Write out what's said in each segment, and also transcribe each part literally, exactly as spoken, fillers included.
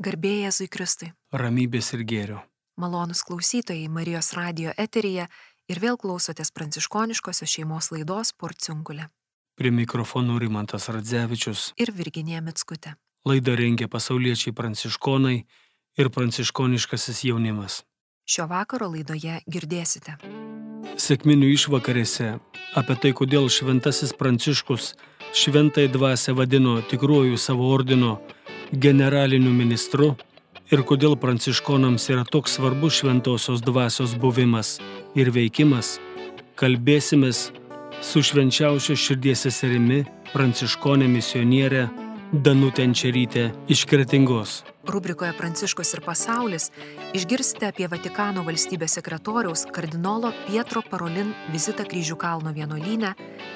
Garbė Jėzui Kristui. Ramybės ir gėrio. Malonūs klausytojai Marijos radijo eteryje ir vėl klausotės pranciškoniškosios šeimos laidos Porciunkulė. Prie mikrofonų Rimantas Radzevičius Ir Virginija Mickutė. Laidą rengia pasauliečiai pranciškonai ir pranciškoniškasis jaunimas. Šio vakaro laidoje girdėsite. Sekminių išvakarėse apie tai, kodėl šventasis Pranciškus šventąją dvasią vadino tikruoju savo ordino generaliniu ministru ir kodėl pranciškonams yra toks svarbus šventosios dvasios buvimas ir veikimas, kalbėsimės su švenčiausios širdies seserimi pranciškonė misionierė Danutė Enčerytė iš Kretingos. Rubrikoje Pranciškus ir pasaulis išgirsite apie Vatikano valstybės sekretoriaus kardinolo Pietro Parolin vizitą Kryžių kalno vienuolyne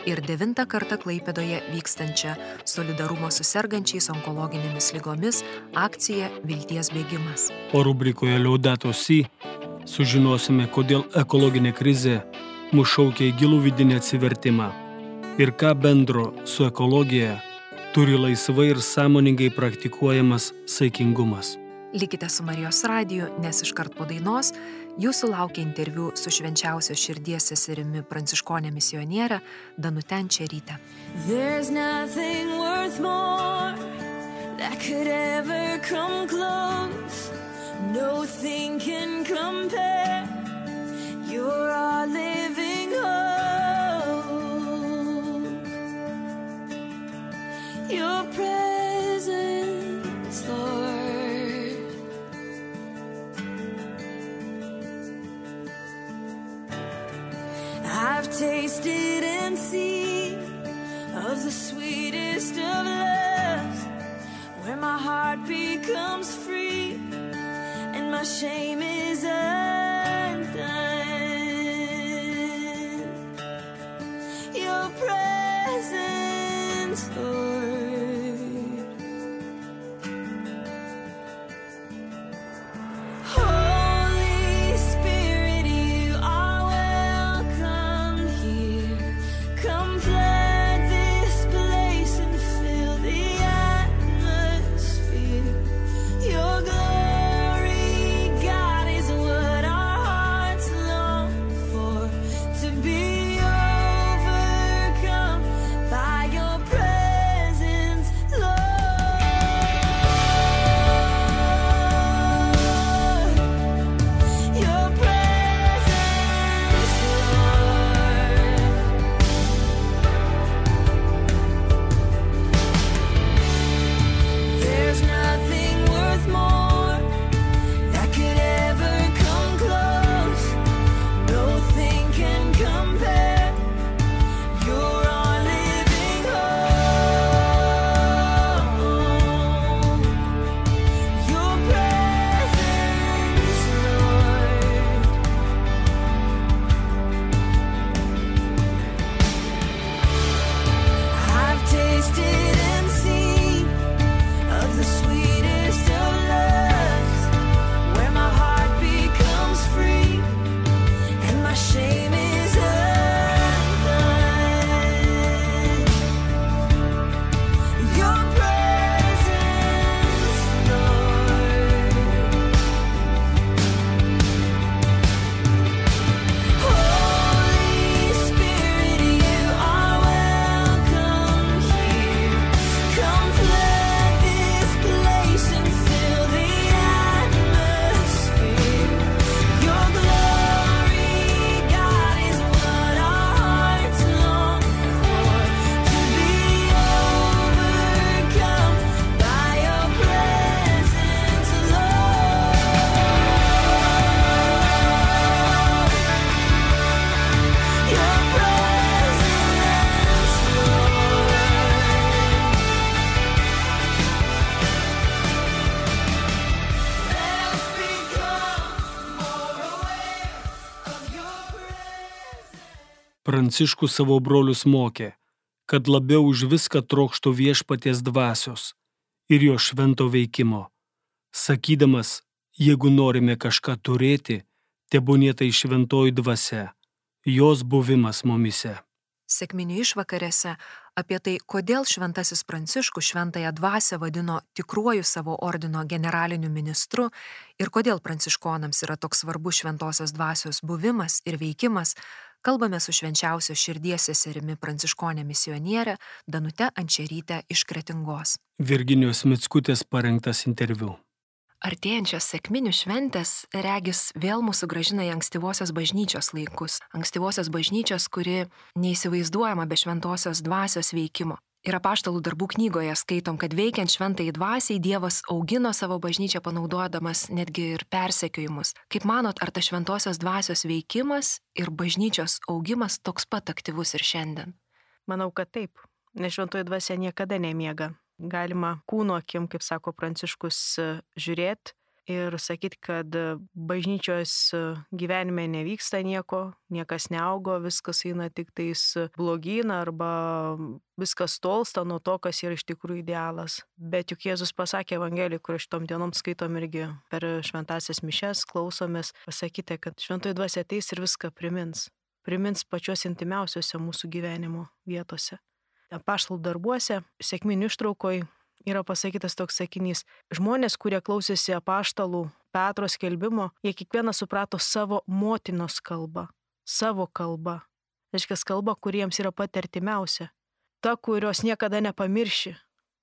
ir devintą kartą Klaipėdoje vykstančią solidarumo su sergančiais onkologinėmis ligomis akciją Vilties bėgimas. O rubrikoje Laudato Si sužinosime, kodėl ekologinė krizė mus šaukia į gilų vidinį atsivertimą ir ką bendro su ekologija turi laisvai ir sąmoningai praktikuojamas saikingumas. Likite su Marijos radiju, nes iškart po dainos jūsų laukia interviu su švenčiausios širdies seserimi pranciškonė misionierė Danute Enčeryte. There's nothing worth more that could ever come close. Nothing can compare. You're our living hope. Your presence, Lord. I've tasted and seen of the sweetest of loves, where my heart becomes free and my shame is undone. Your presence, Lord. Pranciškus savo brolius mokė, kad labiau už viską trokštų viešpaties dvasios ir jo švento veikimo, sakydamas, jeigu norime kažką turėti, tebūnie tai šventoji dvasia, jos buvimas mumise. Sekminių išvakarėse Apie tai, kodėl šventasis Pranciškus šventąją dvasią vadino tikruoju savo ordino generaliniu ministru ir kodėl pranciškonams yra toks svarbus šventosios dvasios buvimas ir veikimas, kalbame su švenčiausios širdies seserimi pranciškonė misionierė Danute Ančeryte iš Kretingos. Virginijos Mickutės parengtas interviu. Artėjančios sekminių šventės regis vėl mūsų grąžina į ankstyvosios bažnyčios laikus. Ankstyvosios bažnyčios, kuri neįsivaizduojama be šventosios dvasios veikimo. Ir apaštalų darbų knygoje skaitom, kad veikiant šventai dvasiai Dievas augino savo bažnyčią panaudodamas netgi ir persekiojimus. Kaip manot, ar ta šventosios dvasios veikimas ir bažnyčios augimas toks pat aktyvus ir šiandien? Manau, kad taip, nes šventoji dvasia niekada nemiega. Galima kūno akim, kaip sako Pranciškus, žiūrėti ir sakyti, kad bažnyčios gyvenime nevyksta nieko, niekas neaugo, viskas eina tik tais blogyn arba viskas tolsta nuo to, kas yra iš tikrųjų idealas. Bet juk Jėzus pasakė Evangelijoje, kur šitom dienom skaitom irgi per šventasias mišes, klausomės, pasakyti, kad šventoji dvasia ateis ir viską primins. Primins pačios intimiausiose mūsų gyvenimo vietose. Apaštalų darbuose, sekminių ištraukoj yra pasakytas toks sakinys. Žmonės, kurie klausėsi apaštalų Petro skelbimo, jie kiekvieną suprato savo motinos kalbą, savo kalbą. Reiškia, kalba, kuriems yra pati artimiausia. Ta, kurios niekada nepamirši.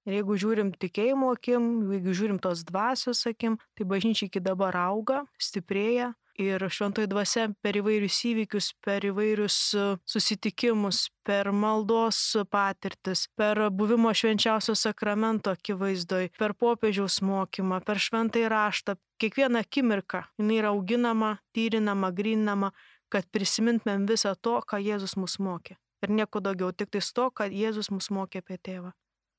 Ir jeigu žiūrim tikėjimo akim, jeigu žiūrim tos dvasios akim, tai bažnyčia iki dabar auga, stiprėja. Ir šventoji dvasia per įvairius įvykius, per įvairius susitikimus, per maldos patirtis, per buvimo švenčiausio sakramento akivaizdoj, per popiežiaus mokymą, per šventąjį raštą, kiekvieną akimirką jinai yra auginama, tyrinama, gryninama, kad prisimintumėm visą to, ką Jėzus mus mokė. Ir nieko daugiau, tik tais to, kad Jėzus mus mokė apie tėvą.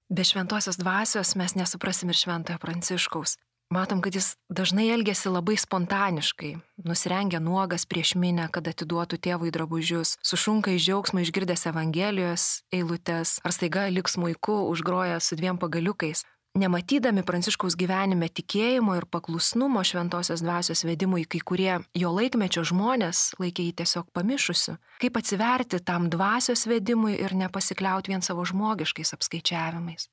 Be šventosios dvasios mes nesuprasim ir šventojo Pranciškaus. Matom, kad jis dažnai elgiasi labai spontaniškai, nusirengia nuogas prieš minę, kad atiduotų tėvui drabužius, sušunka iš džiaugsmo išgirdęs Evangelijos eilutes, ar staiga lik smuiku užgroja su dviem pagaliukais. Nematydami Pranciškaus gyvenime tikėjimo ir paklusnumo šventosios dvasios vedimui, kai kurie jo laikmečio žmonės laikė jį tiesiog pamišusiu. Kaip atsiverti tam dvasios vedimui ir nepasikliauti vien savo žmogiškais apskaičiavimais?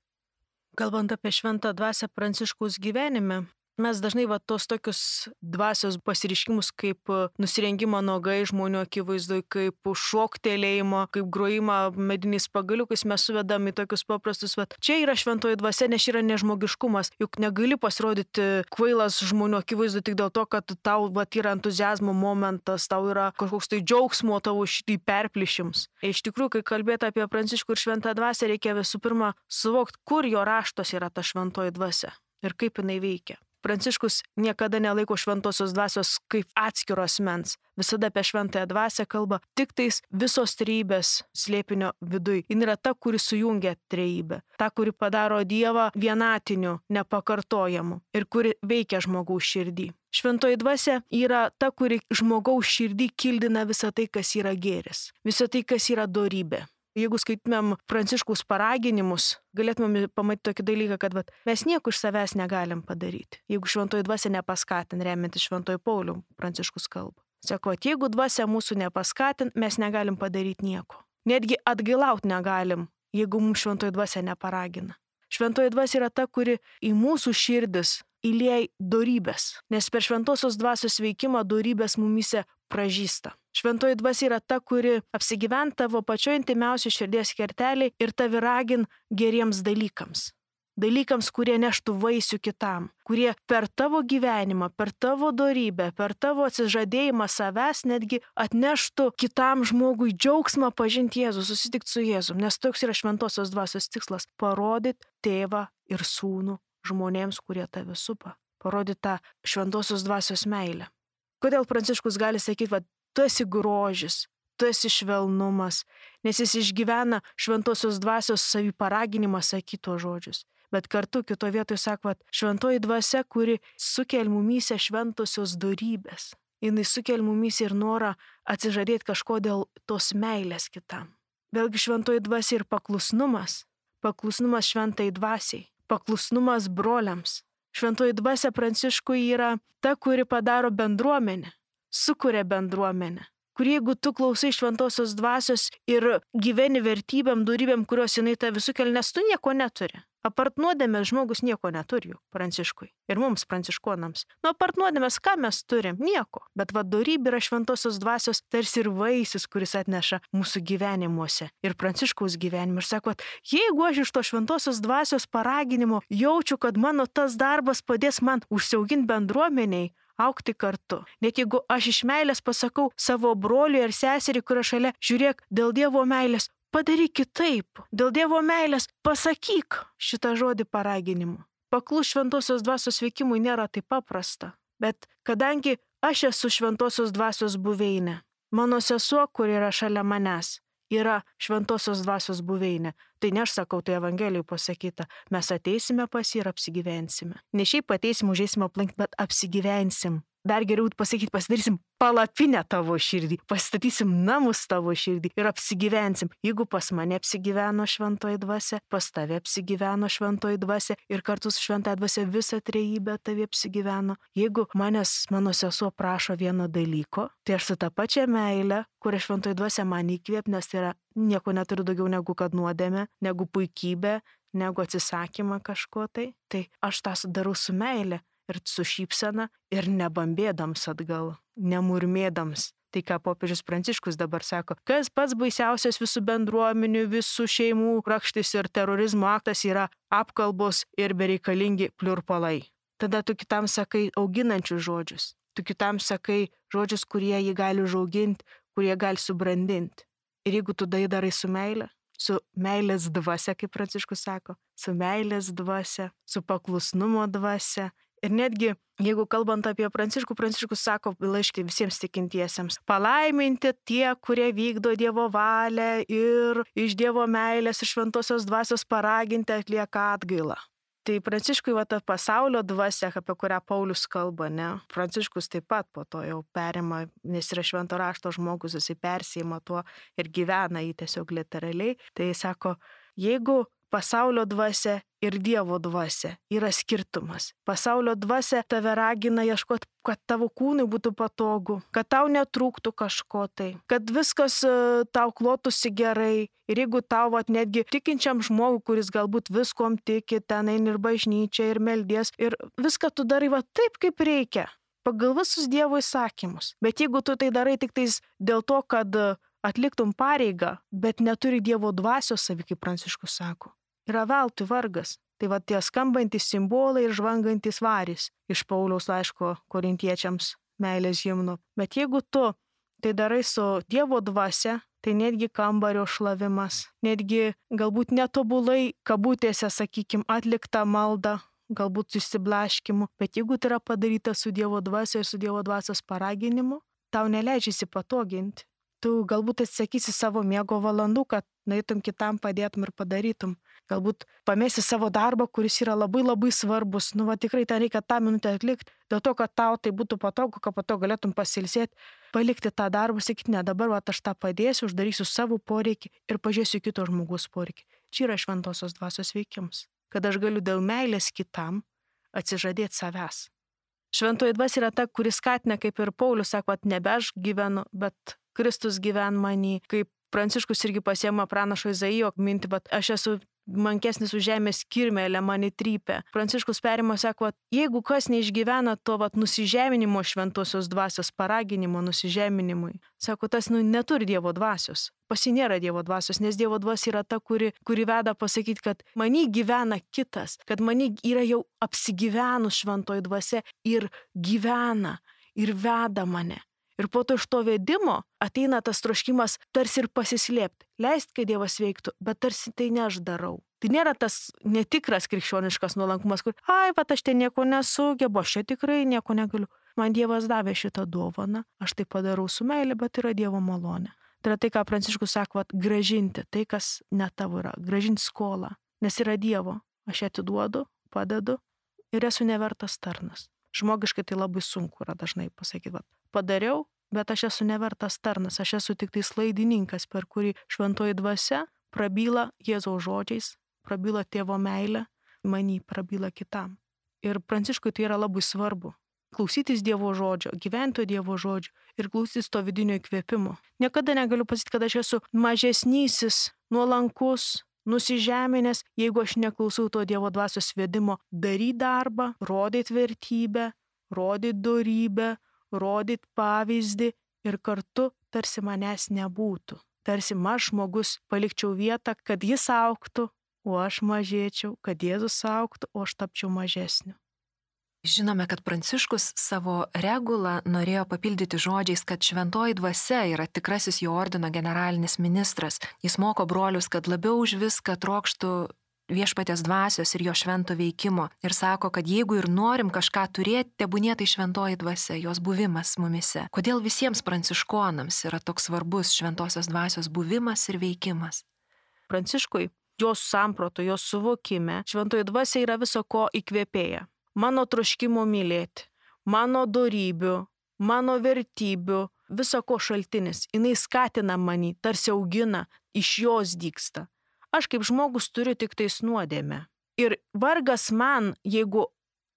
Kalbant apie šventą dvasią Pranciškaus gyvenime, mes dažnai va tos tokius dvasios pasireiškimus kaip nusirengimą nuogai žmonių akivaizdoj, kaip šoktelėjimo, kaip grojimą mediniais pagaliukais mes suvedam į tokius paprastus, va čia yra šventoji dvasia, nes yra nežmogiškumas, juk negali pasirodyti kvailas žmonių akivaizdoj tik dėl to, kad tau va yra entuziazmo momentas, tau yra kažkoks tai džiaugsmo tavo šitį perplišims. Iš tikrųjų, kai kalbėti apie Pranciškų ir šventą dvasią, reikia visų pirma suvokti, kur jo raštos yra ta šventoji dvasia ir kaip jinai veikia. Pranciškus niekada nelaiko šventosios dvasios kaip atskiro asmens. Visada apie šventąją dvasią kalba tik tais visos trejybės slėpinio viduj. Jin yra ta, kuri sujungia trejybę. Ta, kuri padaro Dievą vienatiniu, nepakartojamu ir kuri veikia žmogaus širdį. Šventoji dvasia yra ta, kuri žmogaus širdį kildina visą tai, kas yra gėris. Visą tai, kas yra dorybė. Jeigu skaitumėm Pranciškaus paraginimus, galėtumėm pamatyti tokį dalyką, kad vat, mes nieko iš savęs negalim padaryti. Jeigu šventoji dvasia nepaskatin, remiantis šventoji Paulių, Pranciškus kalba. Sako, jeigu dvasia mūsų nepaskatin, mes negalim padaryti nieko. Netgi atgailauti negalim, jeigu mums šventoji dvasia neparagina. Šventoji dvasia yra ta, kuri į mūsų širdis įlieja dorybės, nes per šventosios dvasios veikimą dorybės mumise pražysta. Šventoji dvasia yra ta, kuri apsigyvent tavo pačio intimiausių širdies kerteliai ir tavi ragin geriems dalykams. Dalykams, kurie neštų vaisių kitam, kurie per tavo gyvenimą, per tavo dorybę, per tavo atsižadėjimą savęs netgi atneštų kitam žmogui džiaugsmą pažinti Jėzų, susitikti su Jėzum, nes toks yra šventosios dvasios tikslas - parodyti tėvą ir sūnų žmonėms, kurie tave supa, parodyti tą šventosios dvasios meilę. Kodėl Pranciškus gali sakyti, va, tu esi grožis, tu esi švelnumas, nes jis išgyvena šventosios dvasios saviparaginimą sakyto žodžius. Bet kartu kito vietoje sako, va, šventoji dvasia, kuri sukel mumyse šventosios dorybės. Jinai sukel mumyse ir norą atsižadėti kažko dėl tos meilės kitam. Vėlgi šventoji dvasia ir paklusnumas, paklusnumas šventai dvasiai, paklusnumas broliams. Šventoji dvasia Pranciškui yra ta, kuri padaro bendruomenę, sukuria bendruomenę. kur jeigu tu klausai šventosios dvasios ir gyveni vertybėm, dorybėm, kurios jinai tave sukelia, nes tu nieko neturi. Apart nuodėmės žmogus nieko neturi, Pranciškui. Ir mums, pranciškonams. Nu, apart nuodėmės, ką mes turim? Nieko. Bet va, dorybė yra šventosios dvasios tarsi ir vaisius, kuris atneša mūsų gyvenimuose. Ir Pranciškaus gyvenimą. Ir sako, jeigu aš iš to šventosios dvasios paraginimo jaučiu, kad mano tas darbas padės man užsiauginti bendruomeniai, aukti kartu. Net jeigu aš iš meilės pasakau savo broliui ar seseriai, kurio šalia, žiūrėk, dėl Dievo meilės, padaryk kitaip. Dėl Dievo meilės pasakyk šitą žodį paraginimu. Paklus šventosios dvasios veikimui nėra taip paprasta. Bet kadangi aš esu šventosios dvasios buveinė, mano sesuo, kur yra šalia manęs, yra šventosios dvasios buveinė. Tai ne aš sakau, tai Evangelijoje pasakyta. Mes ateisime pas jį ir apsigyvensime. Ne šiaip ateisim, užeisim aplink, bet apsigyvensim. Dar geriau pasakyti, pasidarysim palapinę tavo širdį, pastatysim namus tavo širdį ir apsigyvensim. Jeigu pas mane apsigyveno šventoji dvasia, pas tave apsigyveno šventoji dvasia ir kartu su šventoji dvasia visa trejybė tave apsigyveno. Jeigu manęs mano sesuo prašo vieno dalyko, tai aš su tą pačią meilę, kurią šventoji dvasia man įkvėp, nes tai yra nieko neturiu daugiau negu kad nuodėmė, negu puikybė, negu atsisakymą kažko tai, tai aš tą darau su meilė. Ir su šypsena ir nebambėdams atgal, nemurmėdams. Tai ką popiežius Pranciškus dabar sako, kas pats baisiausias visų bendruomenių, visų šeimų rakštis ir terorizmo aktas yra apkalbos ir bereikalingi pliurpalai. Tada tu kitam sakai auginančius žodžius, tu kitam sakai žodžius, kurie jį gali užauginti, kurie gali subrandinti. Ir jeigu tu tai darai su meile, su meilės dvasia, kaip Pranciškus sako, su meilės dvasia, su paklusnumo dvasia. Ir netgi, jeigu kalbant apie Pranciškų, Pranciškus sako laiške visiems tikintiesiems, palaiminti tie, kurie vykdo Dievo valią ir iš Dievo meilės ir šventosios dvasios paraginti atlieka atgailą. Tai Pranciškui va ta pasaulio dvasia, apie kurią Paulius kalba, ne? Pranciškus taip pat po to jau perima, nes yra švento rašto žmogus, jisai persijima tuo ir gyvena jį tiesiog literaliai. Tai jis sako, jeigu pasaulio dvasia ir Dievo dvasia yra skirtumas. Pasaulio dvasia tave ragina ieškoti, kad tavo kūnui būtų patogu, kad tau netrūktų kažko tai, kad viskas tau klotųsi gerai. Ir jeigu tau vat, netgi tikinčiam žmogui, kuris galbūt viskom tiki, ten eini ir bažnyčia, ir meldies, ir viską tu darai va taip, kaip reikia, pagal visus Dievo įsakymus. Bet jeigu tu tai darai tik tais dėl to, kad atliktum pareigą, bet neturi Dievo dvasios savi, kaip Pranciškus sako, yra veltui vargas. Tai va tie skambantys simbolai ir žvangantys varys iš Pauliaus laiško korintiečiams meilės himno. Bet jeigu tu tai darai su Dievo dvasia, tai netgi kambario šlavimas, netgi galbūt netobulai, kabutėse, sakykim, atlikta malda, galbūt išsiblaškimu, bet jeigu tai yra padaryta su Dievo dvasia ir su Dievo dvasios paraginimu, tau neleidžia įsipatoginti. Tu galbūt atsisakysi savo miego valandų, kad nueitum kitam padėtum ir padarytum. Galbūt pamėsi savo darbą, kuris yra labai labai svarbus. Nu, va tikrai ten reikia tą minutę atlikti. Dėl to, kad tau tai būtų patogu, kad po to galėtum pasilsėti, palikti tą darbą, sakyti, ne, dabar va, aš tą padėsiu, uždarysiu savo poreikį ir pažiūrėsiu kito žmogus poreikį. Čia yra šventosios dvasios veikimas. Kad aš galiu dėl meilės kitam atsižadėti savęs. Šventoji dvasia yra ta, kuris skatina, kaip ir Paulius sako, nebe aš gyvenu, bet Kristus gyven manį, kaip Pranciškus irgi pasiema pranašo Izaijo mintį, bet aš esu mankesnis už žemės kirmelę, mane trypia. Pranciškus perima, sako, jeigu kas neišgyvena to vat, nusižeminimo šventosios dvasios, paraginimo nusižeminimui, sako, tas nu, neturi Dievo dvasios. Pas jį nėra Dievo dvasios, nes Dievo dvasia yra ta, kuri, kuri veda pasakyti, kad manį gyvena kitas, kad manį yra jau apsigyvenus šventoji dvasia ir gyvena ir veda mane. Ir po to iš to vedimo ateina tas troškimas tarsi ir pasislėpti. Leist, kad Dievas veiktų, bet tarsi tai ne aš darau. Tai nėra tas netikras krikščioniškas nuolankumas, kur, ai, bet aš ten nieko nesugebu, aš čia tikrai nieko negaliu. Man Dievas davė šitą dovaną, aš tai padarau su meilė, bet yra Dievo malonė. Tai yra tai, ką Pranciškus sako, vat, gražinti tai, kas ne tavo yra, gražinti skolą, nes yra Dievo. Aš ją atiduodu, padedu ir esu nevertas tarnas. Žmogiškai tai labai sunku yra dažnai pasakyti, vat, padariau, bet aš esu nevertas tarnas, aš esu tik tai slaidininkas, per kurį šventoji dvasia prabyla Jėzaus žodžiais, prabyla tėvo meilę, manį prabyla kitam. Ir Pranciškui tai yra labai svarbu. klausytis Dievo žodžio, gyventi Dievo žodžio ir klausytis to vidinio įkvėpimo. Niekada negaliu pasakyti, kad aš esu mažesnysis, nuolankus, nusižeminęs, jeigu aš neklausau to Dievo dvasios vedimo daryti darbą, rodyti vertybę, rodyti dorybę, rodyti pavyzdį ir kartu tarsi manęs nebūtų. Tarsi aš žmogus palikčiau vietą, kad jis augtų, o aš mažėčiau, kad Jėzus augtų, o aš tapčiau mažesniu. Žinome, kad Pranciškus savo regulą norėjo papildyti žodžiais, kad šventoji dvasia yra tikrasis jo ordino generalinis ministras. Jis moko brolius, kad labiau už viską trokštų viešpaties dvasios ir jo švento veikimo. Ir sako, kad jeigu ir norim kažką turėti, tebūnie tai šventoji dvasia, jos buvimas mumise. Kodėl visiems pranciškonams yra toks svarbus šventosios dvasios buvimas ir veikimas? Pranciškui, jos samproto, jos suvokime, šventoji dvasia yra viso ko įkvėpėja. Mano troškimo mylėti, mano dorybių, mano vertybių, viso ko šaltinis. Jis skatina mane, tarsi augina, iš jos dygsta. Aš kaip žmogus turiu tik tais nuodėmę. Ir vargas man, jeigu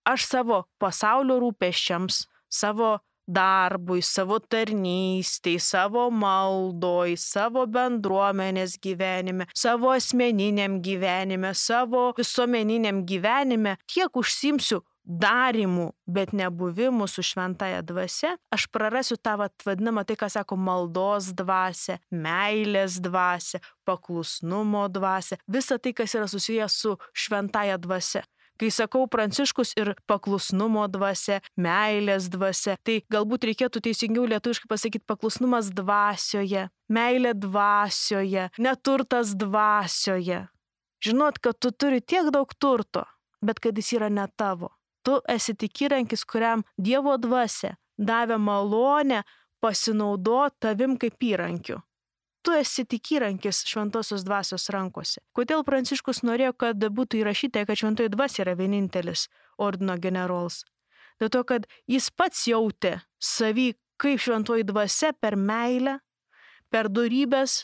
aš savo pasaulio rūpesčiams, savo darbui, savo tarnystei, savo maldoj, savo bendruomenės gyvenime, savo asmeniniam gyvenime, savo visuomeniniam gyvenime, tiek užsimsiu darimų, bet nebuvimų su šventaja dvasia, aš prarasiu tą vadinamą, tai ką sako, maldos dvasia, meilės dvasia, paklusnumo dvasia, visa tai, kas yra susijęs su šventaja dvasia. Kai sakau Pranciškus ir paklusnumo dvasia, meilės dvasia, tai galbūt reikėtų teisingiau lietuviškai pasakyti paklusnumas dvasioje, meilė dvasioje, neturtas dvasioje. Žinot, kad tu turi tiek daug turto, bet kad jis yra ne tavo. Tu esi tik įrankis, kuriam Dievo dvasia davė malonę pasinaudoti tavim kaip įrankiu. Tu esi tik įrankis šventosios dvasios rankose. Kodėl Pranciškus norėjo, kad būtų įrašyta, kad šventoji dvasia yra vienintelis ordino generolas? Dėl to, kad jis pats jautė savį kaip šventoji dvasia per meilę, per dorybės,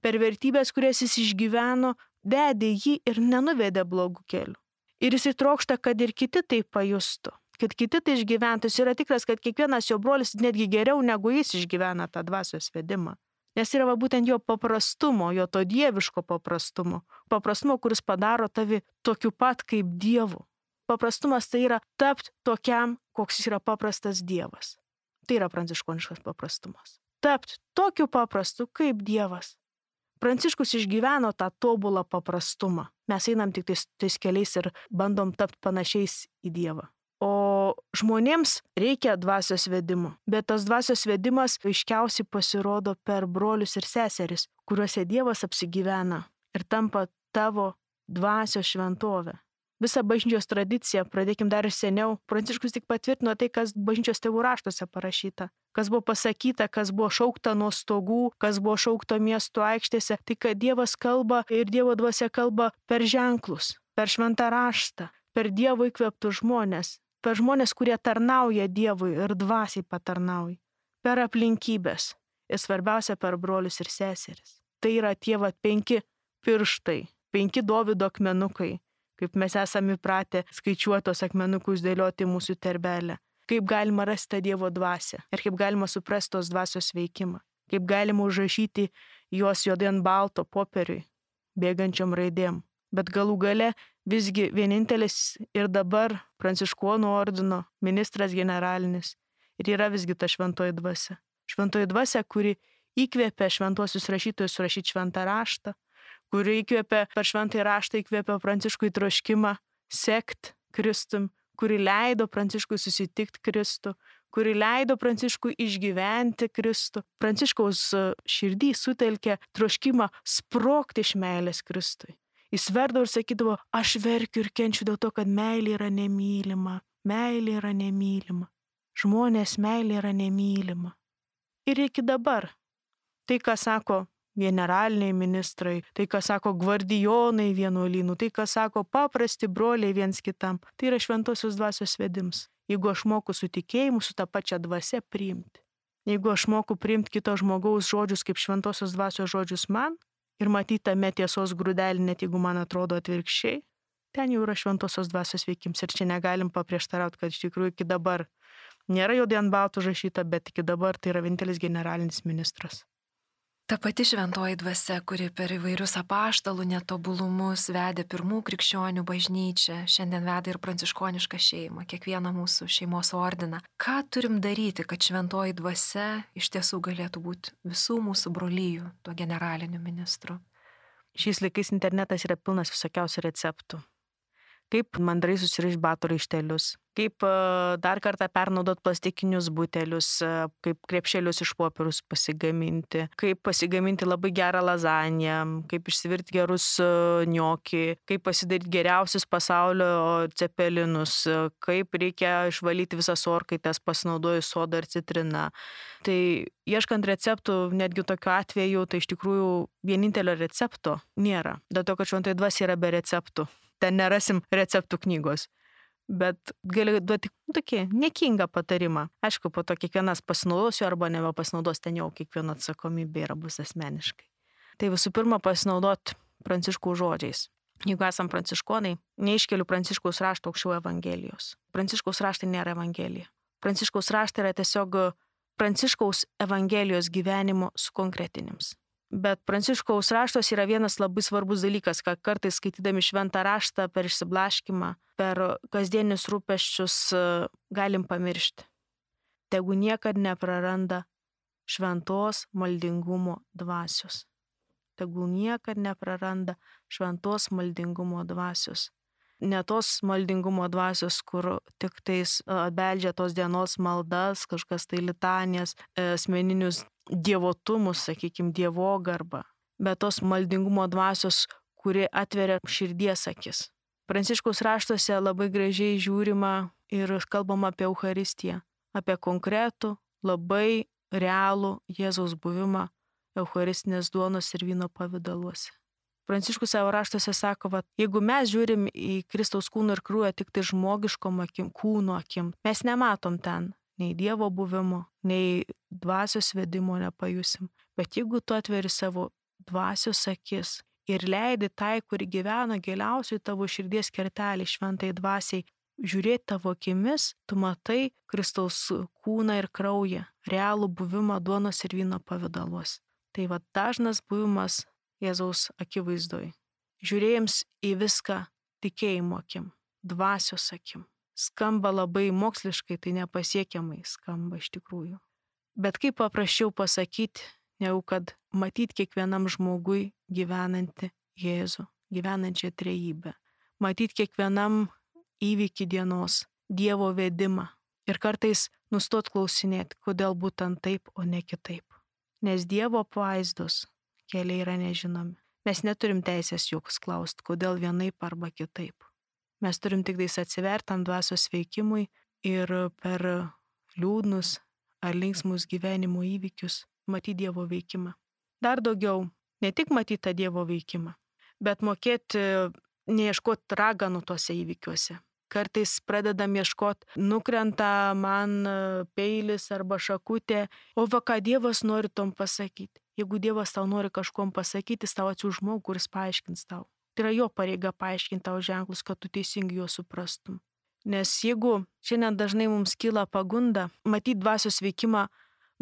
per vertybės, kurias jis išgyveno, vedė jį ir nenuvedė blogų kelių. Ir jis trokšta, kad ir kiti tai pajustų, kad kiti tai išgyventų. Jis yra tikras, kad kiekvienas jo brolis netgi geriau negu jis išgyvena tą dvasios vedimą. Nes yra va, būtent jo paprastumo, jo to dieviško paprastumo. Paprastumo, kuris padaro tavi tokiu pat kaip Dievu. Paprastumas tai yra tapti tokiam, koks jis yra paprastas Dievas. Tai yra pranciškoniškas paprastumas. Tapti tokiu paprastu kaip Dievas. Pranciškus išgyveno tą tobulą paprastumą. Mes einam tik tais, tais keliais ir bandom tapti panašiais į Dievą. O žmonėms reikia dvasios vedimo, bet tas dvasios vedimas aiškiausiai pasirodo per brolius ir seseris, kuriuose Dievas apsigyvena ir tampa tavo dvasios šventovė. Visą bažnyčios tradiciją, pradėkim dar ir seniau, Pranciškus tik patvirtino tai, kas bažnyčios tėvų raštuose parašyta, kas buvo pasakyta, kas buvo šaukta nuo stogų, kas buvo šaukta miesto aikštėse, tai kad Dievas kalba ir Dievo dvasia kalba per ženklus, per šventą raštą, per Dievo įkvėptus žmonės. Per žmonės, kurie tarnauja Dievui ir dvasiai patarnauja. Per aplinkybės. Ir svarbiausia, per brolius ir seseris. Tai yra tie va penki pirštai, penki Dovydo akmenukai, kaip mes esame įpratę skaičiuotos akmenukus dėlioti mūsų terbelę. Kaip galima rasti tą Dievo dvasią ir kaip galima suprasti tos dvasios veikimą. Kaip galima užrašyti juos juodai ant balto popieriui, bėgančiom raidėm. Bet galų gale visgi vienintelis ir dabar pranciškonų ordino ministras generalinis ir yra visgi ta šventoji dvasia. Šventoji dvasia, kuri įkvėpė šventuosius rašytojus rašyti šventą raštą, kuri įkvėpė per šventąjį raštą įkvėpė Pranciškui troškimą sekt Kristum, kuri leido Pranciškui susitikti Kristų, kuri leido Pranciškui išgyventi Kristų. Pranciškaus širdį sutelkė troškimą sprogti iš meilės Kristui. Jis verdavo ir sakydavo, aš verkiu ir kenčiu dėl to, kad meilė yra nemylima, meilė yra nemylima, žmonės meilė yra nemylima. Ir iki dabar, tai ką sako generaliniai ministrai, tai ką sako gvardijonai vienuolynų, tai ką sako paprasti broliai viens kitam, tai yra šventosios dvasios vedims. Jeigu aš moku su tikėjimu, su tą pačią dvasią priimti. Jeigu aš moku priimti kito žmogaus žodžius kaip šventosios dvasios žodžius man, ir matyti tame tiesos grūdelį, net jeigu man atrodo atvirkščiai, ten jau yra šventosios dvasios veikims. Ir čia negalim paprieštarauti, kad iš tikrųjų iki dabar Nėra juodai ant baltų užrašyta, bet iki dabar tai yra vienintelis generalinis ministras. Ta pati šventoji dvasia, kuri per įvairius apaštalų netobulumus vedė pirmų krikščionių bažnyčią, šiandien veda ir pranciškonišką šeimą, kiekvieną mūsų šeimos ordiną. Ką turim daryti, kad šventoji dvasia iš tiesų galėtų būti visų mūsų brolyjų tuo generaliniu ministru? Šiais laikais internetas yra pilnas visokiausių receptų. Kaip mandrai susirišti batų raištelius, kaip dar kartą pernaudot plastikinius butelius, kaip krepšelius iš popierius pasigaminti, kaip pasigaminti labai gerą lazaniją, kaip išsivirti gerus gnocchi, kaip pasidaryti geriausius pasaulio cepelinus, kaip reikia išvalyti visas orkaites pasinaudojus sodą ir citriną. Tai ieškant receptų, netgi tokiu atveju, tai iš tikrųjų vienintelio recepto nėra. Dėl to, kad šventoji dvasia yra be receptų. Ten nerasim receptų knygos, bet galiu duoti tokį niekingą patarimą. Aišku, po to kiekvienas pasinaudosiu arba nebepasinaudos, ten jau kiekvieno atsakomybė yra bus asmeniškai. Tai visų pirma pasinaudot Pranciškaus žodžiais. Jeigu esam pranciškonai, neiškeliu Pranciškaus rašto aukščiau Evangelijos. Pranciškaus raštai nėra Evangelija. Pranciškaus raštai yra tiesiog Pranciškaus Evangelijos gyvenimo sukonkretinims. Bet Pranciškaus raštos yra vienas labai svarbus dalykas, kad kartais skaitydami šventą raštą per išsiblaškimą, per kasdienius rūpesčius galim pamiršti. Tegu niekad nepraranda šventos maldingumo dvasios. Tegu niekad nepraranda šventos maldingumo dvasios. Ne tos maldingumo dvasios, kur tik tais beldžia tos dienos maldas, kažkas tai litanijas, asmeninius dievotumus, sakykime, dievogarbą, bet tos maldingumo dvasios, kuri atveria širdies akis. Pranciškaus raštuose labai gražiai žiūrima ir kalbama apie Eucharistiją, apie konkretų, labai realų Jėzaus buvimą Eucharistinės duonos ir vyno pavidaluose. Pranciškus savo raštuose sako, kad jeigu mes žiūrim į Kristaus kūno ir kraują tik tai žmogiškom akim, kūno akim, mes nematom ten nei Dievo buvimo, nei dvasios vedimo nepajusim. Bet jeigu tu atveri savo dvasios akis ir leidi tai, kuri gyvena giliausiai tavo širdies kertelį šventai dvasiai, žiūrėti tavo akimis, tu matai Kristaus kūną ir kraują, realų buvimą duonos ir vyno pavidaluos. Tai va dažnas buvimas Jėzaus akivaizdoj. Žiūrėjams į viską tikėjimo akim, dvasios akim. Skamba labai moksliškai, tai nepasiekiamai skamba iš tikrųjų. Bet kaip paprasčiau pasakyti, negu kad matyti kiekvienam žmogui gyvenantį Jėzų, gyvenančią trejybę. Matyti kiekvienam įvykį dienos, Dievo vedimą. Ir kartais nustot klausinėti, kodėl būtent taip, o ne kitaip. Nes Dievo pavaizdos keliai yra nežinomi. Mes neturim teisės joks klausti, kodėl vienaip arba kitaip. Mes turim tik tais atsivertam dvasios veikimui ir per liūdnus ar linksmus gyvenimo įvykius matyti Dievo veikimą. Dar daugiau, ne tik matyti tą Dievo veikimą, bet mokėti neieškoti raganų tuose įvykiuose. Kartais pradedam ieškoti, nukrenta man peilis arba šakutė, o va ką Dievas nori tom pasakyti. Jeigu Dievas tau nori kažkom pasakyti, jis tau atsiųs žmogų, kuris paaiškins tau. Tai yra jo pareiga paaiškinti tau ženklus, kad tu teisingai juos suprastum. Nes jeigu šiandien dažnai mums kyla pagunda matyti dvasios veikimą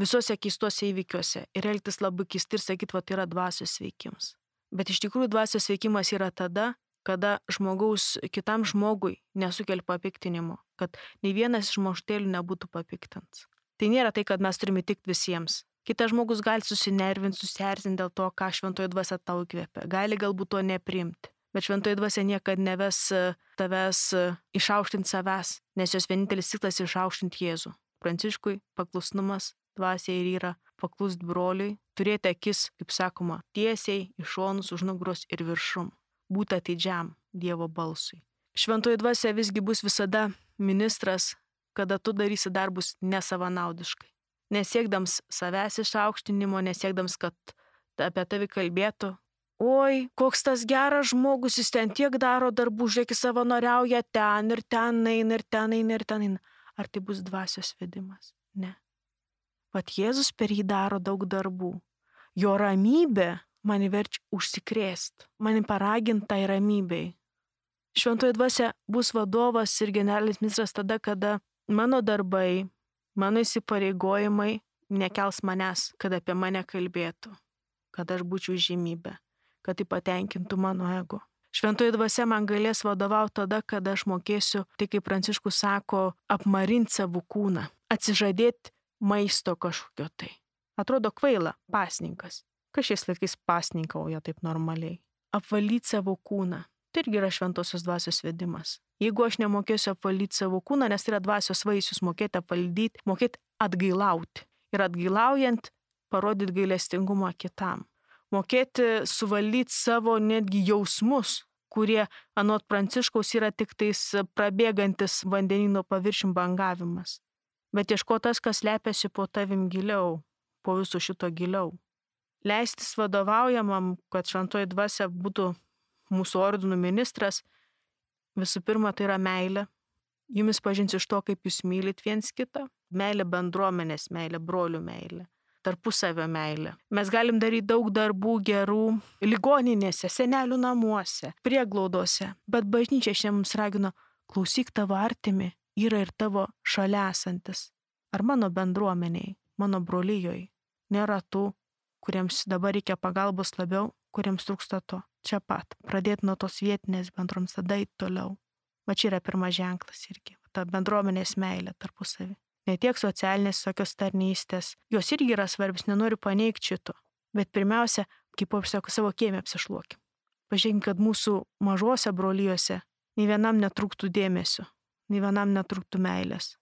visuose keistuose įvykiuose ir elgtis labai keistai ir sakyti, va tai yra dvasios veikimas. Bet iš tikrųjų dvasios veikimas yra tada, kada žmogaus kitam žmogui nesukelia papiktinimo, kad nei vienas iš mažtėlių nebūtų papiktins. Tai nėra tai, kad mes turime tikti visiems. Kitas žmogus gali susinervinti, susierzinti dėl to, ką šventoji dvasia tau įkvėpia. Gali galbūt to nepriimti. Bet šventoji dvasia niekada neves tavęs išaukštinti savęs, nes jos vienintelis tikslas išaukštinti Jėzų. Pranciškui paklusnumas dvasiai ir yra paklust broliui, turėti akis, kaip sakoma, tiesiai, iš šonus, už nugaros ir viršum. Būti atidžiam Dievo balsui. Šventoji dvasia visgi bus visada ministras, kada tu darysi darbus nesavanaudiškai. Nesiekdams savęs išaukštinimo, nesiekdams, kad apie tavi kalbėtų. Oi, koks tas geras žmogus, jis ten tiek daro darbų, žiūrėk, savanoriauja ten ir ten eina ir ten eina ir ten eina. Ar tai bus dvasios vedimas? Ne. Vat Jėzus per jį daro daug darbų. Jo ramybė mane verčia užsikrėsti, mane paraginta į ramybei. Šventoji dvasia bus vadovas ir generalinis ministras tada, kada mano darbai, Mano įsipareigojimai nekels manęs, kad apie mane kalbėtų, kad aš būčiau žymybė, kad tai patenkintų mano ego. Šventoji dvasia man galės vadovauti tada, kada aš mokėsiu, tai kaip Pranciškus sako, apmarinti savo kūną, atsižadėti maisto kažkokio tai. Atrodo kvaila, pasninkas. Kas šiais laikais pasninkauja taip normaliai? Apvalyti savo kūną. Tai irgi yra šventosios dvasios vedimas. Jeigu aš nemokėsiu apvalyti savo kūną, nes tai yra dvasios vaisius, mokėti apvaldyti, mokėti atgailauti. Ir atgailaujant, parodyti gailestingumą kitam. Mokėti suvaldyti savo netgi jausmus, kurie anot Pranciškaus yra tik tais prabėgantis vandenino paviršium bangavimas. Bet ieško tas, kas lepiasi po tavim giliau, po viso šito giliau. Leistis vadovaujamam, kad šventoji dvasia būtų mūsų ordinų ministras, visų pirma, tai yra meilė. Jumis pažins iš to, kaip jūs mylit viens kitą. Meilė bendruomenės meilė, brolių meilė, tarpusavio meilė. Mes galim daryti daug darbų gerų ligoninėse, senelių namuose, prieglaudose. Bet bažnyčia šiandien mums ragino, klausyk tavo artimi, yra ir tavo šalia esantis. Ar mano bendruomeniai, mano brolyjoj nėra tų, kuriems dabar reikia pagalbos labiau, kuriems trūksta to. Čia pat. Pradėti nuo tos vietinės bendroms, tada eiti toliau. Va čia yra pirmas ženklas irgi. Ta bendruomenės meilė tarpusavį. Ne tiek socialinės tokios tarnystės. Jos irgi yra svarbios, nenoriu paneigti šito. Bet pirmiausia, kaip aš sakau, savo kiemę apsišluokim. Pažiūrėkim, kad mūsų mažose brolyjose nei vienam netrūktų dėmesio, nei vienam netrūktų meilės.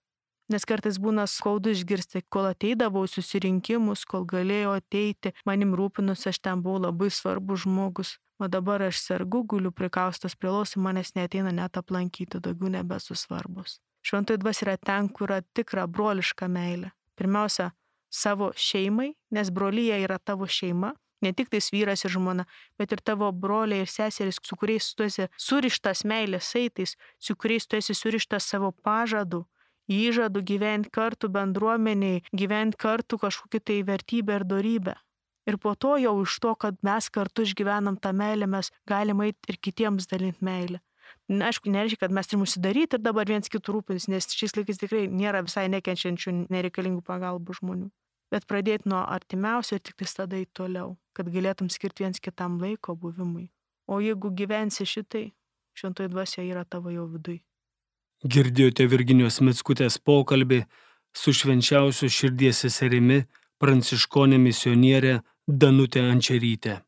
Nes kartais būna skaudu išgirsti, kol ateidavau į susirinkimus, kol galėjau ateiti, manim rūpinus, aš ten buvau labai svarbus žmogus. O dabar aš sergu, guliu prikaustas prie lovos, manęs neateina net aplankyti, daugiau nebesu svarbus. Šventoji dvasia yra ten, kur yra tikra broliška meilė. Pirmiausia, savo šeimai, nes brolyje yra tavo šeima, ne tik tais vyras ir žmona, bet ir tavo broliai ir seserys, su kuriais tu esi surištas meilės saitais, su kuriais tu esi surištas savo pažadų, įžadų gyventi kartu bendruomeniai, gyventi kartu kažkokį tai vertybę ir dorybę. Ir po to jau iš to, kad mes kartu išgyvenam tą meilę, mes galime eiti ir kitiems dalinti meilę. Na, aišku, nereiškia, kad mes turim užsidaryti ir dabar viens kitų rūpins, nes šiais laikais tikrai nėra visai nekenčiančių, nereikalingų pagalbų žmonių. Bet pradėti nuo artimiausio ir tik tais tada eiti toliau, kad galėtum skirti viens kitam laiko buvimui. O jeigu gyvensi šitai, šventoji dvasia yra tavo jau viduj. Girdėjote Virginijos Mickutės pokalbį su švenčiausiu širdies seserimi, pranciškonė misionierė Danutė Ančerytė.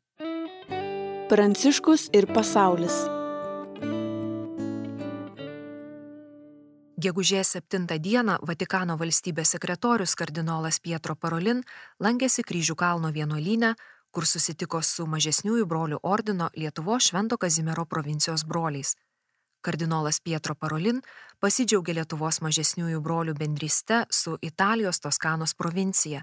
Pranciškus ir pasaulis. Gegužės septintą dieną Vatikano valstybės sekretorius kardinolas Pietro Parolin lankėsi Kryžių kalno vienuolyne, kur susitiko su mažesniųjų brolių ordino Lietuvos Švento Kazimiero provincijos broliais. Kardinolas Pietro Parolin pasidžiaugė Lietuvos mažesniųjų brolių bendryste su Italijos Toskanos provincija,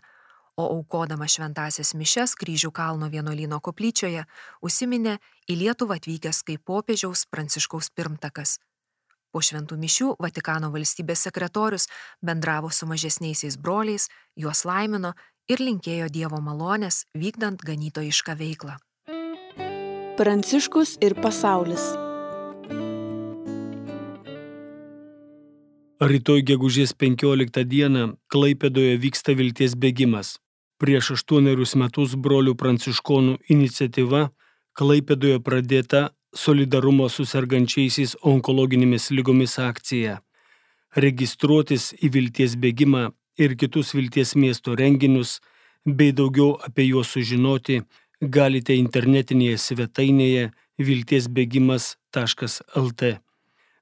o aukodama šventąsias mišias Kryžių kalno vienuolyno koplyčioje užsiminė į Lietuvą atvykęs kaip popiežiaus Pranciškaus pirmtakas. Po šventų mišių Vatikano valstybės sekretorius bendravo su mažesniaisiais broliais, juos laimino ir linkėjo Dievo malonės vykdant ganytojišką veiklą. Pranciškus ir pasaulis. Rytoj gegužės penkioliktą dieną Klaipėdoje vyksta vilties bėgimas. Prieš aštuonerius metus brolių pranciškonų iniciatyva Klaipėdoje pradėta solidarumo su sergančiaisiais onkologinėmis ligomis akcija. Registruotis į vilties bėgimą ir kitus vilties miesto renginius, bei daugiau apie juos sužinoti, galite internetinėje svetainėje viltiesbėgimas taškas el te.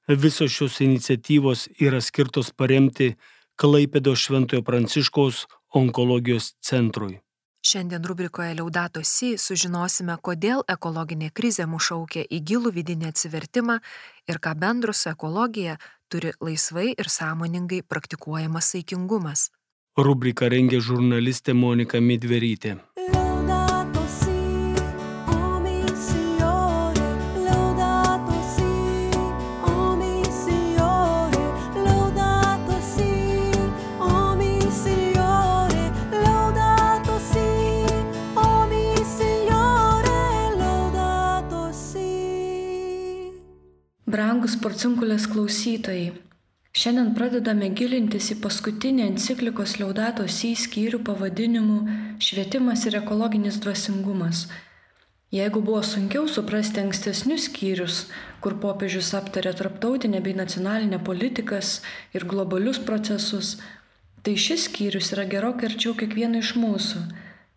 Visos šios iniciatyvos yra skirtos paremti Klaipėdos Šventojo Pranciškaus onkologijos centrui. Šiandien rubrikoje Laudato Si sužinosime, kodėl ekologinė krizė mus šaukia į gilų vidinį atsivertimą ir ką bendro su ekologija turi laisvai ir sąmoningai praktikuojamas saikingumas. Rubriką rengė žurnalistė Monika Midverytė. Brangus Porciunkulės klausytojai, Šiandien pradedame gilintis į paskutinį enciklikos Laudato Si skyrių pavadinimu Švietimas ir ekologinis dvasingumas. Jeigu buvo sunkiau suprasti ankstesnius skyrius, kur popiežius aptarė tarptautinę bei nacionalinę politikas ir globalius procesus, tai šis skyrius yra gerokai arčiau kiekvieno iš mūsų.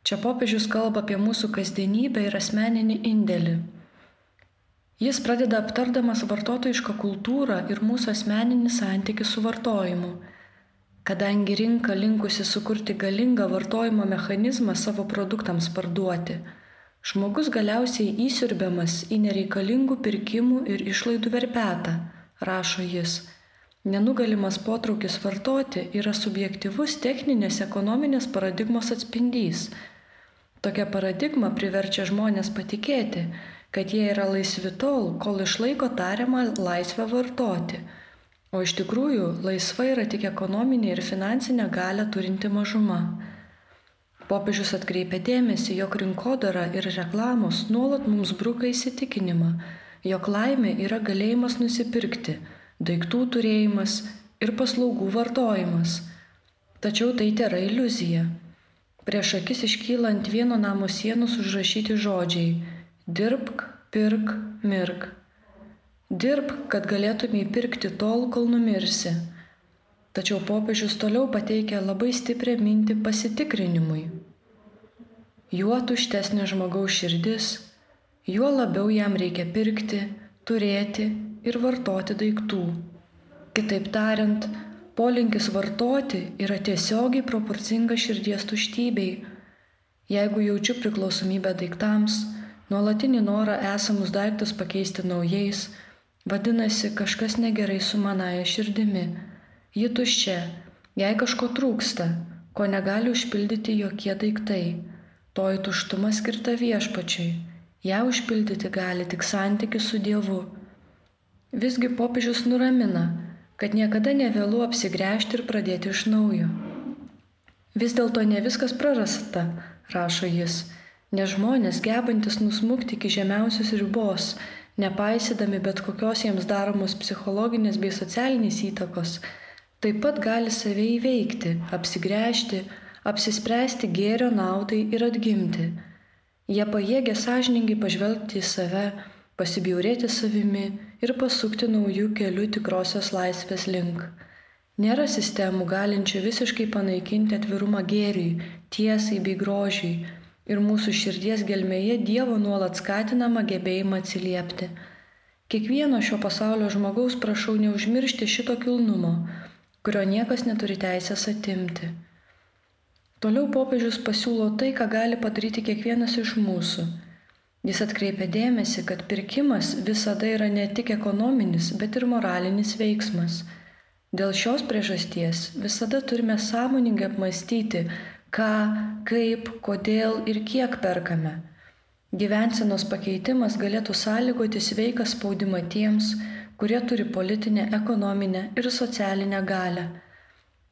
Čia popiežius kalba apie mūsų kasdienybę ir asmeninį indėlį. Jis pradeda aptardamas vartotojišką kultūrą ir mūsų asmeninį santykį su vartojimu. Kadangi rinka linkusi sukurti galingą vartojimo mechanizmą savo produktams parduoti, žmogus galiausiai įsiurbiamas į nereikalingų pirkimų ir išlaidų verpetą, rašo jis. Nenugalimas potraukis vartoti yra subjektyvus techninės ekonominės paradigmos atspindys. Tokia paradigma priverčia žmonės patikėti, kad jie yra laisvi tol, kol išlaiko tariamą laisvę vartoti, o iš tikrųjų laisva yra tik ekonominė ir finansinė galia turinti mažuma. Popiežius atkreipia dėmesį, jog rinkodara ir reklamos nuolat mums bruka įsitikinimą, jog laimė yra galėjimas nusipirkti, daiktų turėjimas ir paslaugų vartojimas. Tačiau tai tėra iliuzija. Prieš akis iškyla ant vieno namo sienos užrašyti žodžiai: dirbk, pirk, mirk. Dirbk, kad galėtumei pirkti tol, kol numirsi. Tačiau popiežius toliau pateikia labai stiprią mintį pasitikrinimui. Juo tuštesnė žmogaus širdis, juo labiau jam reikia pirkti, turėti ir vartoti daiktų. Kitaip tariant, polinkis vartoti yra tiesiogiai proporcingas širdies tuštybei. Jeigu jaučiu priklausomybę daiktams, nuolatinį norą esamus daiktus pakeisti naujais, vadinasi, kažkas negerai su manaja širdimi. Ji tuščia, jai kažko trūksta, ko negali užpildyti jokie daiktai. Toji tuštuma skirta viešpačiui, ją užpildyti gali tik santykis su Dievu. Visgi popiežius nuramina, kad niekada nevėlu apsigręžti ir pradėti iš naujo. Vis dėlto ne viskas prarasta, rašo jis. Nes žmonės, gebantis nusmukti iki žemiausios ribos, nepaisydami bet kokios jiems daromos psichologinės bei socialinės įtakos, taip pat gali save įveikti, apsigręžti, apsispręsti gėrio naudai ir atgimti. Jie pajėgia sąžiningai pažvelgti į save, pasibjaurėti savimi ir pasukti naujų kelių tikrosios laisvės link. Nėra sistemų galinčių visiškai panaikinti atvirumą gėriui, tiesai bei grožiui, ir mūsų širdies gelmėje Dievo nuolat skatinama gebėjimą atsiliepti. Kiekvieno šio pasaulio žmogaus prašau neužmiršti šito kilnumo, kurio niekas neturi teisės atimti. Toliau popiežius pasiūlo tai, ką gali padaryti kiekvienas iš mūsų. Jis atkreipia dėmesį, kad pirkimas visada yra ne tik ekonominis, bet ir moralinis veiksmas. Dėl šios priežasties visada turime sąmoningai apmąstyti, ką, kaip, kodėl ir kiek perkame. Gyvensenos pakeitimas galėtų sąlygoti sveiką spaudimą tiems, kurie turi politinę, ekonominę ir socialinę galią.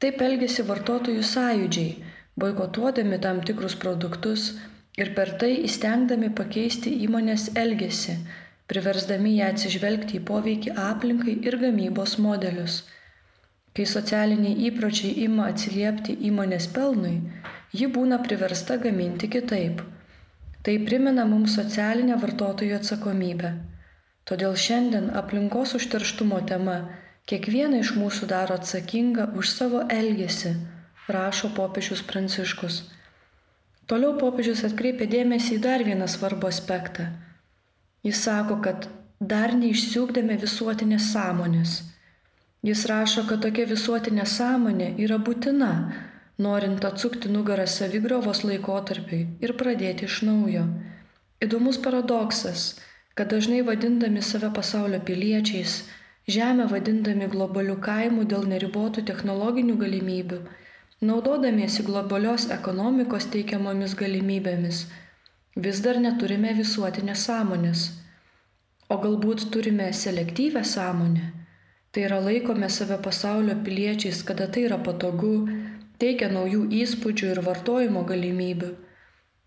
Taip elgesi vartotojų sąjūdžiai, boikotuodami tam tikrus produktus ir per tai įstengdami pakeisti įmonės elgesį, priversdami ją atsižvelgti į poveikį aplinkai ir gamybos modelius. Kai socialiniai įpročiai ima atsiliepti įmonės pelnui, ji būna priversta gaminti kitaip. Tai primena mums socialinę vartotojų atsakomybę. Todėl šiandien aplinkos užterštumo tema kiekvieną iš mūsų daro atsakingą už savo elgesį, rašo popiežius Pranciškus. Toliau popiežius atkreipia dėmesį į dar vieną svarbų aspektą. Jis sako, kad dar neišsiugdėme visuotinės sąmonės. Jis rašo, kad tokia visuotinė sąmonė yra būtina, norint atsukti nugarą savigriovos laikotarpiui ir pradėti iš naujo. Įdomus paradoksas, kad dažnai vadindami save pasaulio piliečiais, žemę vadindami globaliu kaimu dėl neribotų technologinių galimybių, naudodamiesi globalios ekonomikos teikiamomis galimybėmis, vis dar neturime visuotinės sąmonės. O galbūt turime selektyvę sąmonę? Tai yra laikome save pasaulio piliečiais, kada tai yra patogu, teikia naujų įspūdžių ir vartojimo galimybių.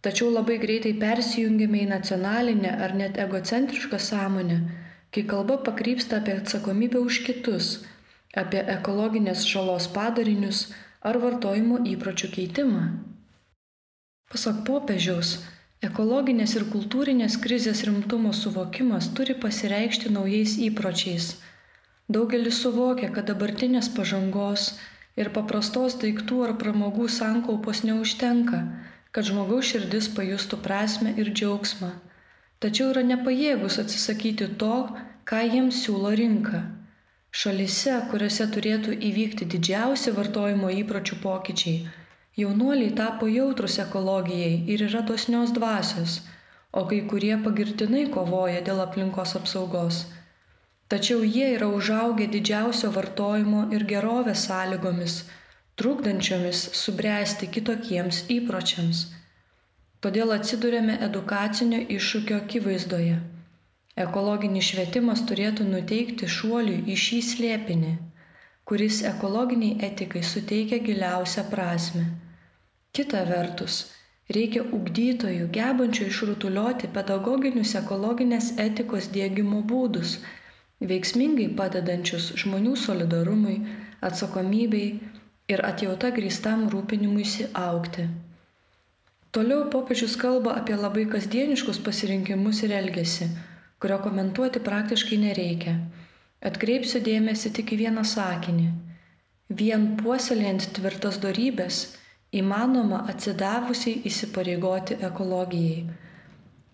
Tačiau labai greitai persijungiame į nacionalinę ar net egocentrišką sąmonę, kai kalba pakrypsta apie atsakomybę už kitus, apie ekologinės žalos padarinius ar vartojimo įpročių keitimą. Pasak popiežiaus, ekologinės ir kultūrinės krizės rimtumo suvokimas turi pasireikšti naujais įpročiais. Daugelis suvokia, kad dabartinės pažangos ir paprastos daiktų ar pramogų sankaupos neužtenka, kad žmogaus širdis pajustų prasmę ir džiaugsmą, tačiau yra nepajėgus atsisakyti to, ką jiems siūlo rinka. Šalyse, kuriuose turėtų įvykti didžiausi vartojimo įpročių pokyčiai, jaunuoliai tapo jautrus ekologijai ir yra dosnios dvasios, o kai kurie pagirtinai kovoja dėl aplinkos apsaugos. Tačiau jie yra užaugę didžiausio vartojimo ir gerovės sąlygomis, trukdančiomis subręsti kitokiems įpročiams. Todėl atsiduriame edukacinio iššūkio akivaizdoje. Ekologinis švietimas turėtų nuteikti šuoliui į šį slėpinį, kuris ekologiniai etikai suteikia giliausią prasmę. Kita vertus, reikia ugdytojų, gebančių išrutulioti pedagoginius ekologinės etikos diegimo būdus, veiksmingai padedančius žmonių solidarumui, atsakomybei ir atjauta grįstam rūpinimuisi augti. Toliau popiežius kalba apie labai kasdieniškus pasirinkimus ir elgesį, kurio komentuoti praktiškai nereikia. Atkreipsiu dėmesį tik į vieną sakinį. Vien puoselėjant tvirtas dorybės įmanoma atsidavusiai įsipareigoti ekologijai.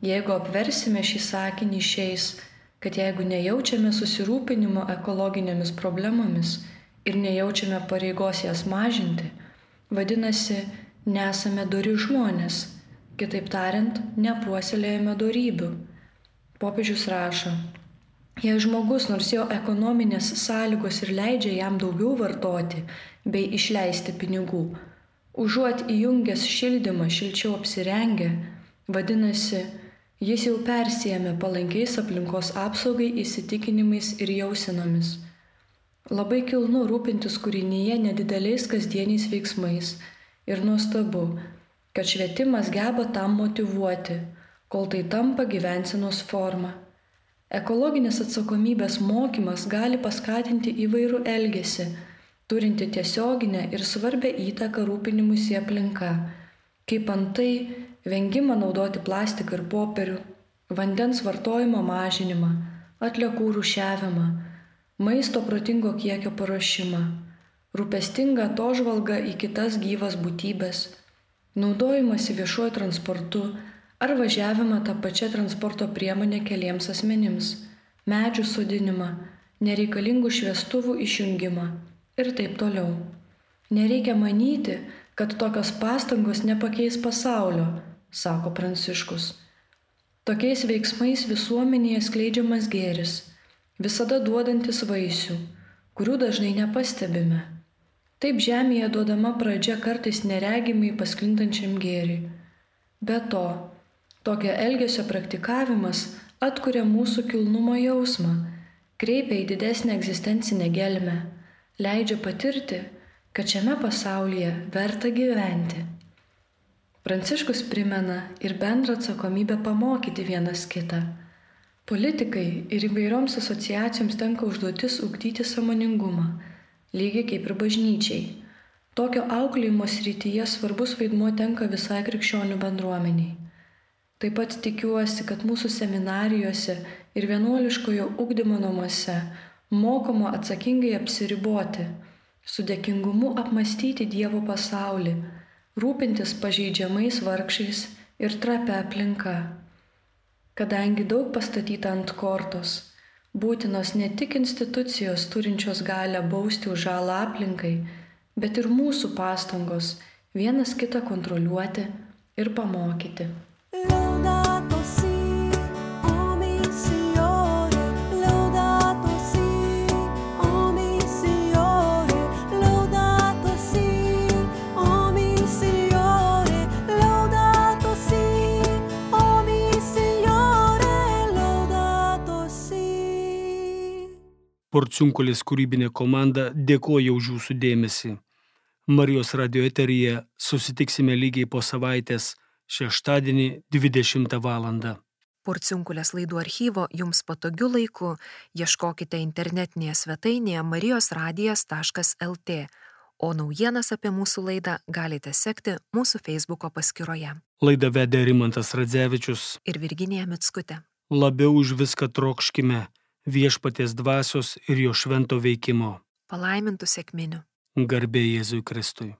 Jeigu apversime šį sakinį išeis, kad jeigu nejaučiame susirūpinimo ekologinėmis problemomis ir nejaučiame pareigos jas mažinti, vadinasi, nesame dori žmonės, kitaip tariant, nepuoselėjame dorybių. Popiežius rašo, jei žmogus, nors jo ekonominės sąlygos ir leidžia jam daugiau vartoti bei išleisti pinigų, užuot įjungęs šildymą šilčiau apsirengę, vadinasi, jis jau persijėmė palankiais aplinkos apsaugai įsitikinimais ir jausenomis. Labai kilnu rūpintis kūrinyje nedideliais kasdieniais veiksmais ir nuostabu, kad švietimas geba tam motyvuoti, kol tai tampa gyvensenos forma. Ekologinės atsakomybės mokymas gali paskatinti įvairų elgesį, turinti tiesioginę ir svarbę įtaką rūpinimuisi aplinka, kaip antai vengimą naudoti plastiką ir popierių, vandens vartojimo mažinimą, atliekų rūšiavimą, maisto protingo kiekio paruošimą, rūpestingą atožvalgą į kitas gyvas būtybės, naudojimąsi viešuoju transportu ar važiavimą tą pačią transporto priemonę keliems asmenims, medžių sodinimą, nereikalingų šviestuvų išjungimą ir taip toliau. Nereikia manyti, kad tokios pastangos nepakeis pasaulio, sako Pranciškus. Tokiais veiksmais visuomenėje skleidžiamas gėris, visada duodantis vaisių, kurių dažnai nepastebime. Taip žemėje duodama pradžia kartais neregimai pasklindančiam gėriui. Be to, tokio elgesio praktikavimas atkuria mūsų kilnumo jausmą, kreipia į didesnę egzistencinę gelmę, leidžia patirti, kad šiame pasaulyje verta gyventi. Pranciškus primena ir bendrą atsakomybę pamokyti vienas kitą. Politikai ir įvairioms asociacijoms tenka užduotis ugdyti sąmoningumą, lygiai kaip ir bažnyčiai. Tokio auklėjimo srityje svarbus vaidmuo tenka visai krikščionių bendruomeniai. Taip pat tikiuosi, kad mūsų seminarijose ir vienuoliškojo ugdymo namuose mokoma atsakingai apsiriboti, su dėkingumu apmąstyti Dievo pasaulį, rūpintis pažeidžiamais vargšais ir trapia aplinka. Kadangi daug pastatyta ant kortos, būtinos ne tik institucijos turinčios galią bausti už žalą aplinkai, bet ir mūsų pastangos vienas kitą kontroliuoti ir pamokyti. Laudato si, o mi Signore, laudato si, o mi Signore, laudato si, o mi Signore, laudato si, o mi Signore, laudato si. Porciunkulės kūrybinė komanda dėkoja už jūsų dėmesį. Marijos radio eteryje susitiksime lygiai po savaitės šeštadienį dvidešimtą valandą. Porciunkulės laidų archyvo jums patogiu laiku ieškokite internetinėje svetainėje marijos radijas taškas el tė, o naujienas apie mūsų laidą galite sekti mūsų Facebooko paskyroje. Laidą vedė Rimantas Radzevičius Ir Virginija Mickutė. Labiau už viską trokškime viešpaties dvasios ir jo švento veikimo. Palaimintų sekminių. Garbė Jėzui Kristui.